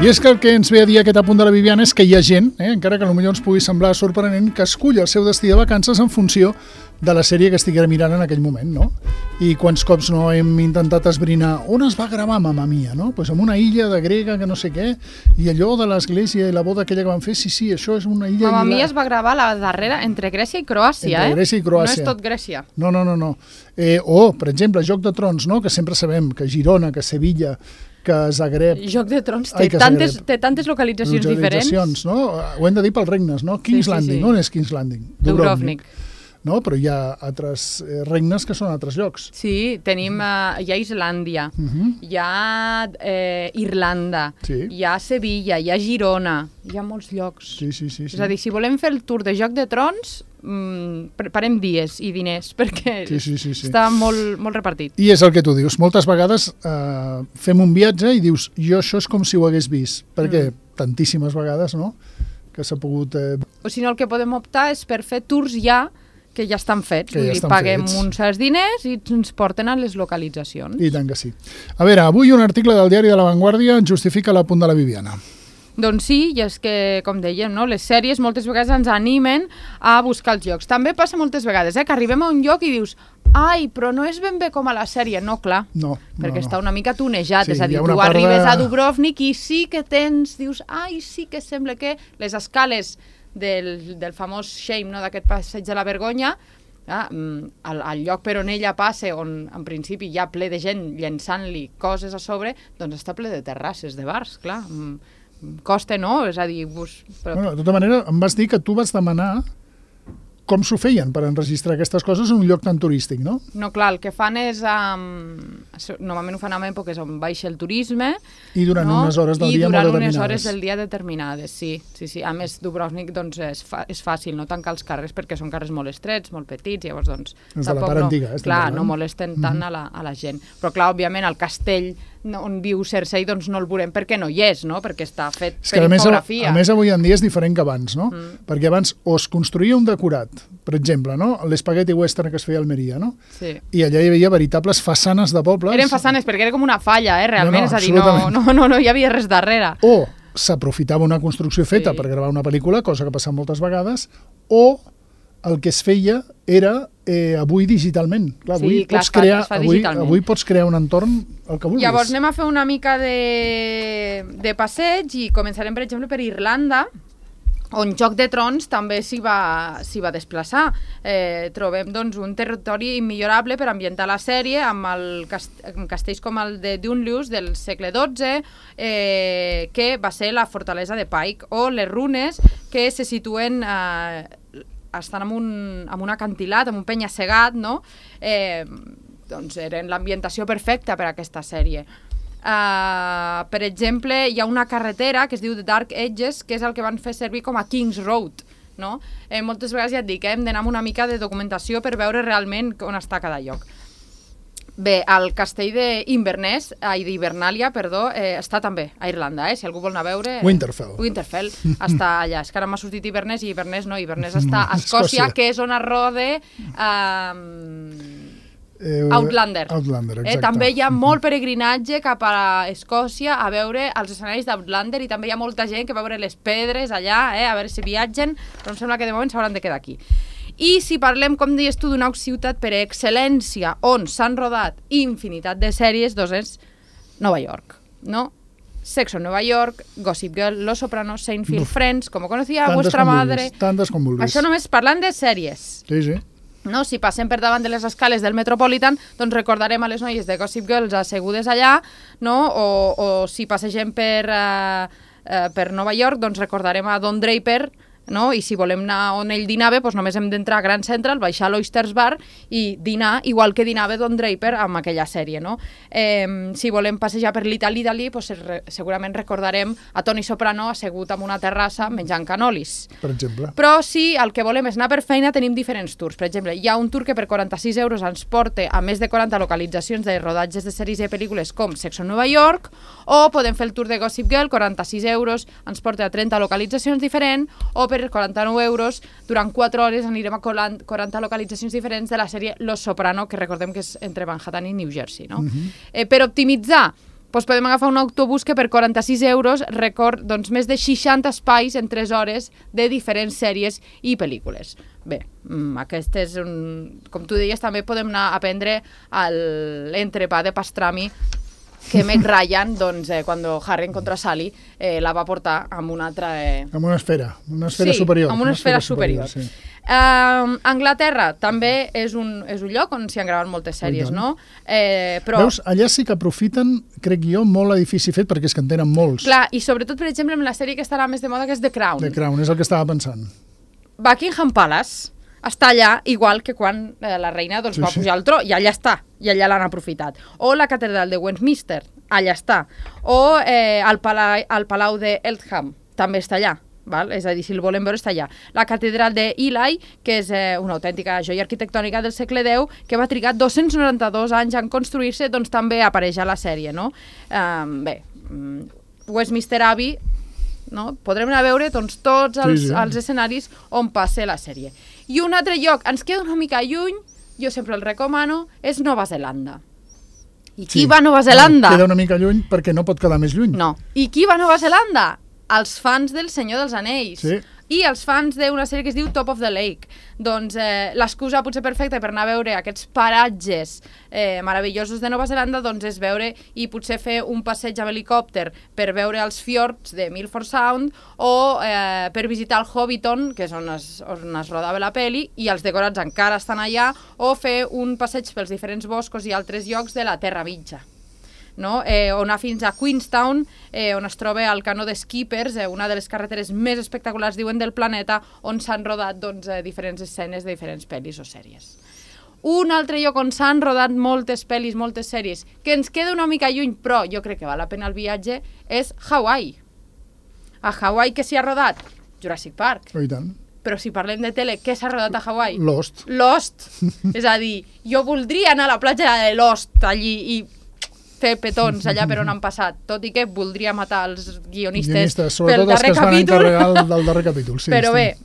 I és que el que ens ve a dir aquest apunt de la Viviana és que hi ha gent, encara que potser ens pugui semblar sorprenent, que escull el seu destí de vacances en funció de la sèrie que estiguera mirant en aquell moment, no? I quants cops no hem intentat esbrinar on es va gravar Mamma Mia, no? Pues en una illa de grega que no sé què, i allò de l'església i la boda aquella que van fer, sí, això és una illa... Mamma Mia es va gravar la darrera entre Grècia i Croàcia, Entre Grècia i Croàcia. No és tot Grècia. No. O, per exemple, Joc de Trons, no? Que sempre sabem que Girona, que Sevilla, que Zagreb... Joc de Trons té tantes localitzacions diferents. No? Ho hem de dir pels regnes, no? King's Landing. On és King's Landing? Dubrovnik. No? Però hi ha altres regnes que són altres llocs. Sí, tenim... hi ha Islàndia, hi ha Irlanda, hi ha Sevilla, hi ha Girona, hi ha molts llocs. Sí. És a dir, si volem fer el tour de Joc de Trons, preparem dies i diners, perquè està molt repartit. I és el que tu dius. Moltes vegades fem un viatge i dius, jo això és com si ho hagués vist. Perquè tantíssimes vegades, no?, que s'ha pogut... O si no, el que podem optar és per fer tours que ja estan fets. Paguem uns certs diners i ens porten a les localitzacions. I tant que sí. A veure, avui un article del diari de La Vanguardia justifica l'apunt de la Viviana. Doncs sí, i és que, com dèiem, no? Les sèries moltes vegades ens animen a buscar els llocs. També passa moltes vegades que arribem a un lloc i dius ai, però no és ben bé com a la sèrie. No, clar, perquè està una mica tunejat. És a dir, tu arribes a Dubrovnik i sí que dius, ai, sí que sembla que les escales del famós Shame, no? D'aquest passeig de la vergonya, el lloc per on ella passa, on en principi hi ha ple de gent llençant-li coses a sobre, doncs està ple de terrasses, de bars, clar. Costa, no? És a dir... Bueno, de tota manera, em vas dir que tu vas demanar com s'ho feien per enregistrar aquestes coses en un lloc tan turístic, no? No, clar, el que fan és... normalment ho fan en èpoques on baixa el turisme. I durant unes hores del dia molt determinades. I durant unes hores del dia determinades, sí. A més, Dubrovnik doncs, és fàcil no tancar els carrers perquè són carrers molt estrets, molt petits, llavors doncs... És de la part antiga, clar, no molesten tant a la gent. Però clar, òbviament, el castell on viu Cersei doncs no el veurem perquè no hi és, no? Perquè està fet per infografia. A més, avui en dia és diferent que abans, no? Perquè abans o es construïa un decorat, per exemple, no? L'espaghetti western que es feia a Almeria, no? Sí. I allà hi havia veritables façanes de pobles. Eren façanes perquè era com una falla, realment, és a dir, no hi havia res darrere. O s'aprofitava una construcció feta per gravar una pel·lícula, cosa que passa moltes vegades, o el que es feia era avui digitalment. Clar, avui pots crear un entorn el que vulguis. Llavors anem a fer una mica de passeig i començarem, per exemple, per Irlanda, on Joc de Trons també s'hi va desplaçar. Trobem doncs, un territori immillorable per ambientar la sèrie amb castells com el de Dunluce del segle XII, que va ser la fortalesa de Pike, o les runes que se situen... estan en un acantilat, en un penya-segat, no? Doncs eren l'ambientació perfecta per a aquesta sèrie. Per exemple, hi ha una carretera que es diu The Dark Edges, que és el que van fer servir com a King's Road, no? Moltes vegades ja et dic, hem d'anar amb una mica de documentació per veure realment on està cada lloc. Bé, el castell d'Hibernalia, està també a Irlanda, si algú vol anar a veure... Winterfell està allà. És que ara m'ha sortit Inverness i Inverness no, Inverness està a Escòcia, que és on es rode Outlander. Exacte. També hi ha molt peregrinatge cap a Escòcia a veure els escenaris d'Outlander i també hi ha molta gent que va veure les pedres allà, a veure si viatgen, però em sembla que de moment s'hauran de quedar aquí. I si parlem, com deies tu, d'una ciutat per excel·lència on s'han rodat infinitat de sèries, doncs és Nova York, no? Sexo en Nova York, Gossip Girl, Los Sopranos, Seinfeld, Friends, como conocía vuestra madre... Tantes com vulguis. Això només parlant de sèries. Sí. No? Si passem per davant de les escales del Metropolitan, doncs recordarem a les noies de Gossip Girls assegudes allà, no? O si passegem per Nova York, doncs recordarem a Don Draper, no? I si volem anar on ell dinava, doncs només hem d'entrar a Grand Central, baixar a l'Oysters Bar i dinar, igual que dinava Don Draper amb aquella sèrie, no? Si volem passejar per l'Italy, doncs segurament recordarem a Tony Soprano assegut en una terrassa menjant cannolis. Per exemple. Però si el que volem és anar per feina, tenim diferents tours. Per exemple, hi ha un tour que per 46 euros ens porta a més de 40 localitzacions de rodatges de sèries i pel·lícules com Sexo en Nova York, o podem fer el tour de Gossip Girl, 46 euros ens porta a 30 localitzacions diferents, o per 49 euros, durant 4 hores anirem a 40 localitzacions diferents de la sèrie Los Soprano, que recordem que és entre Manhattan i New Jersey, no? Per optimitzar, doncs podem agafar un autobús que per 46 euros recorre doncs, més de 60 espais en 3 hores de diferents sèries i pel·lícules. Bé, aquest és com tu deies, també podem anar a prendre l'entrepà de pastrami que Meg Ryan, doncs, quan Harry encontra Sally, la va portar amb una altra... Amb una esfera superior. Sí, amb una esfera superior. Sí. Anglaterra també és un lloc on s'hi han gravat moltes sèries, no? Però... Veus, allà sí que aprofiten, crec jo, molt l'edifici fet, perquè és que en tenen molts. Clar, i sobretot, per exemple, amb la sèrie que estarà més de moda, que és The Crown. The Crown, és el que estava pensant. Buckingham Palace està allà, igual que quan la reina va pujar al tro, i allà està, i allà l'han aprofitat. O la catedral de Westminster, allà està. O el palau de Eltham, també està allà. Val? És a dir, si el volem veure, està allà. La catedral d'Ely, que és una autèntica joia arquitectònica del segle X, que va trigar 292 anys en construir-se, doncs també apareix a la sèrie, no? Bé, Westminster Abbey, no? Podrem anar a veure doncs, tots els escenaris on passa la sèrie. I un altre lloc, ens queda una mica lluny, jo sempre el recomano, és Nova Zelanda. I qui va a Nova Zelanda? Queda una mica lluny perquè no pot quedar més lluny. No. I qui va a Nova Zelanda? Els fans del Senyor dels Anells. Sí. I els fans d'una sèrie que es diu Top of the Lake. Doncs l'excusa potser perfecta per anar a veure aquests paratges meravellosos de Nova Zelanda doncs és veure i potser fer un passeig amb helicòpter per veure els fiords de Milford Sound o per visitar el Hobbiton, que és on es rodava la peli, i els decorats encara estan allà, o fer un passeig pels diferents boscos i altres llocs de la Terra Mitja. No? O anar fins a Queenstown, on es troba el canó de Skippers, una de les carreteres més espectaculars, diuen, del planeta, on s'han rodat doncs, diferents escenes de diferents pel·lis o sèries. Un altre lloc on s'han rodat moltes pel·lis, moltes sèries, que ens queda una mica lluny, però jo crec que val la pena el viatge, és Hawaii. A Hawaii què s'hi ha rodat? Jurassic Park. Oh, i tant. Però si parlem de tele, què s'ha rodat a Hawaii? Lost. És a dir, jo voldria anar a la platja de Lost, allí, i fer petons allà per on han passat, tot i que voldria matar els guionistes pel darrer capítol. Sobretot els que es van encarregar del darrer capítol. Sí, però bé,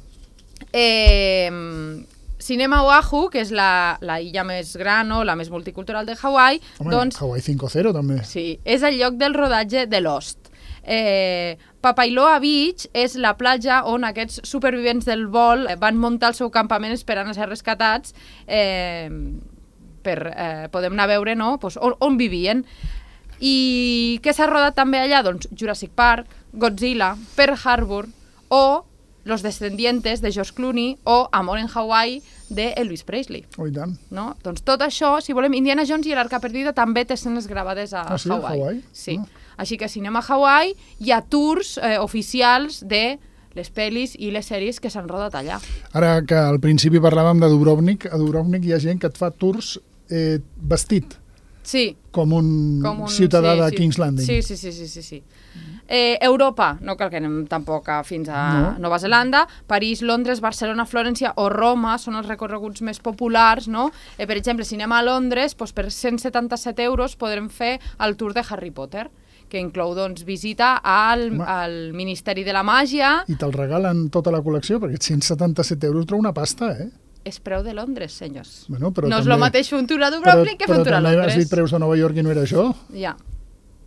Cinema Oahu, que és la illa més gran o la més multicultural de Hawaii... Home, doncs, Hawaii 5.0 també. Sí, és el lloc del rodatge de Lost. Papailoa Beach és la platja on aquests supervivents del vol van muntar el seu campament esperant a ser rescatats podem anar a veure, no? Pues on vivien. I què s'ha rodat també allà? Doncs Jurassic Park, Godzilla, Pearl Harbor o Los Descendientes de George Clooney o Amor en Hawaii de Elvis Presley. Oh, i tant. No? Doncs tot això, si volem, Indiana Jones i l'Arca Perdida també té escenes gravades a sí, Hawaii. Hawaii? Sí. Així que si anem a Hawaii hi ha tours oficials de les pel·lis i les sèries que s'han rodat allà. Ara que al principi parlàvem de Dubrovnik, a Dubrovnik hi ha gent que et fa tours vestit. Sí. Com un ciutadà de King's Landing. Sí. Europa, no cal que anem tampoc fins a Nova Zelanda, París, Londres, Barcelona, Florència o Roma són els recorreguts més populars, no? Per exemple, si anem a Londres, doncs per 177 euros podrem fer el tour de Harry Potter, que inclou doncs, visita al Ministeri de la Màgia. I te'l regalen tota la col·lecció, perquè 177 euros treu una pasta, És preu de Londres, senyors. Bueno, però no és el mateix fer un tour a Dubrovnik que fer un tour a Londres. Però també has dit preus de Nova York i no era això? Ja.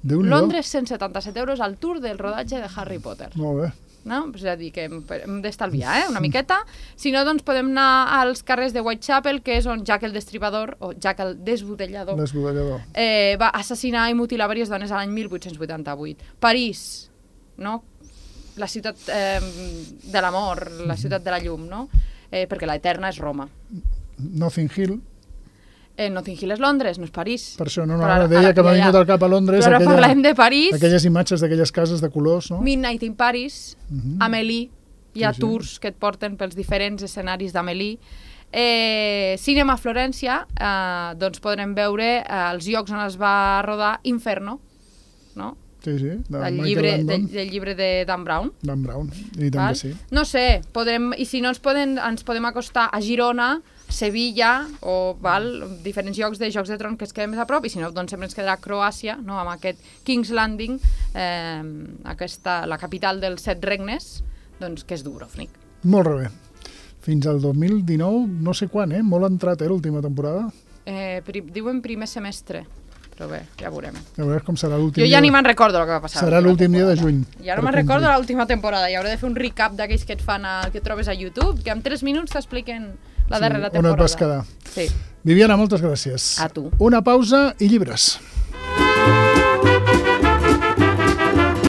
Londres, 177 euros al tour del rodatge de Harry Potter. Molt bé. No? És a dir, que hem d'estalviar una miqueta. Si no, doncs podem anar als carrers de Whitechapel, que és on Jack el Destripador, o Jack el Desbudellador, va assassinar i mutilar diverses dones a l'any 1888. París, no? La ciutat de l'amor, la ciutat de la llum, no? Perquè l'eterna és Roma. Notting Hill. Notting Hill és Londres, no és París. Per això ara deia que m'ha vingut al cap a Londres. Però ara parlem de París. Aquelles imatges d'aquelles cases de colors, no? Midnight in Paris, Amélie, hi ha tours que et porten pels diferents escenaris d'Amélie. Cinema a Florència, doncs podrem veure els llocs on es va rodar Inferno, no? Sí, del llibre de Dan Brown. Dan Brown, i tant que sí. No sé, i si no ens podem acostar a Girona, Sevilla o diferents llocs de Jocs de Tron que es queden més a prop, i si no, doncs sempre ens quedarà Croàcia, no? Amb aquest King's Landing, la capital dels 7 regnes, doncs, que és Dubrovnik. Molt bé. Fins al 2019, no sé quan, molt entrat, l'última temporada. Diuen primer semestre. Però bé, ja veurem. A veure com serà l'últim Jo ja ni me'n recordo el que va passar. Serà l'últim dia de juny. Ja no me'n recordo l'última temporada. I hauré de fer un recap d'aquells que et fan que trobes a YouTube, que en 3 minuts t'expliquen la darrera temporada. On et vas quedar. Sí. Viviana, moltes gràcies. A tu. Una pausa i llibres.